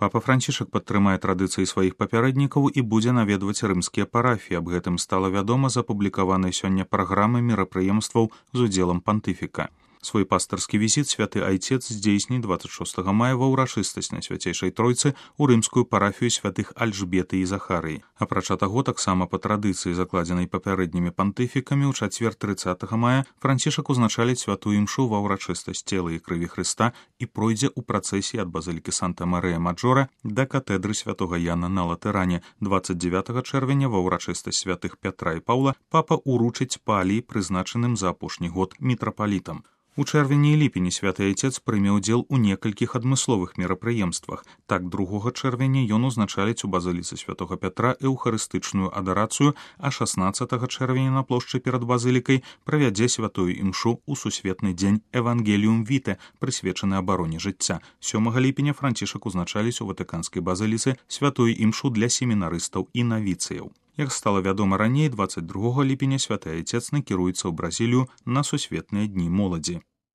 Папа Францішак падтрымае традыцыі сваіх папярэднікаў і будзе наведваць рымскія парафіі. Аб гэтым стала вядома з апублікаванай сёння праграмы мерапрыемстваў з удзелам пантыфіка. Свой пастырскі візіт святы айцец здзейсніць 26 мая ва ўрачыстасць на свяцейшай тройцы ў рымскую парафію святых Альжбеты і Захарыі. Апрача таго, таксама па традыцыі, закладзенай папярэднімі пантыфікамі, ў чацвер 30 мая Францішак узначаліць святую імшу ва ўрачыстасць цела і крыві Хрыста і пройдзе ў працэсіі ад базылікі Санта-Марыя-Маджора да катэдры святога Яна на Латэране. 29 чэрвеня ва ўрачыстасць святых Пятра і Паўла папа уручыць палій, прызначаным за апошні год мітрапалітам. У чэрвені і ліпені святы айцец прыме ўдзел у некалькіх адмысловых мерапрыемствах. Так, 2 чэрвеня ён узначаліць у базыліцы святога Пятра эўхарыстычную адарацыю, а 16 чэрвеня на плошчы перад базылікай правядзе святую імшу ў сусветны дзень Евангеліум Віте, прысвечаны абароне жыцця. 7 ліпеня Францішак узначаліць у ватыканскай базыліцы святую імшу для семінарыстаў і навіцыяў. Як стала вядома раней, 22 ліпеня святы айцец накіруецца ў Бразілію на сусветныя дні моладзі.